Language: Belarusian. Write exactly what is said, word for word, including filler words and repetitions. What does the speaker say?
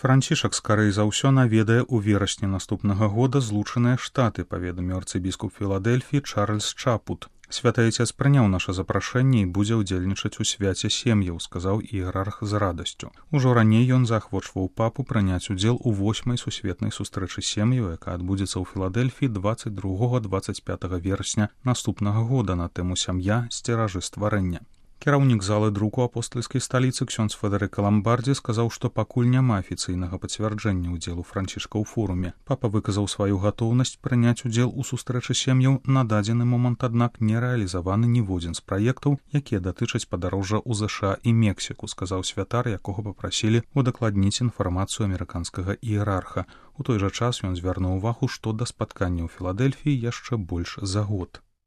Францішак скарэй за ўсё наведае ў верасні наступнага года Злучаныя Штаты, паведаміў арцыбіскуп Філадэльфіі Чарльз Чапут. Святы Айцец прыняў наша запрашэнне і будзе ўдзельнічаць у свяце сем'яў, сказаў іерарх з радасцю. Ужо раней ён заахвочваў папу прыняць удзел у восьмай сусветнай сустрэчы сем'яў, якая адбудзецца ў Філадэльфіі дваццаць другога - дваццаць пятага верасня наступнага года на тэму «Сям'я. Сцеражы стварэння». Кіраўнік залы друку апостальскай сталіцы ксёндз Федэрыка Ламбардзі сказаў, што пакуль няма афіцыйнага пацвярджэння ўдзелу Францішка ў форуме. Папа выказаў сваю гатоўнасць прыняць удзел у сустрэчы сем'яў. На дадзены момант, аднак, не рэалізаваны ніводзін з праектаў, якія датычаць падарожжа ў ЗША і Мексіку, сказаў святар, якога папрасілі удакладніць інфармацыю амерыканскага іерарха. У той жа час ён звярнуў увагу, што да спаткання ў Філадэльфіі яшчэ больш за год.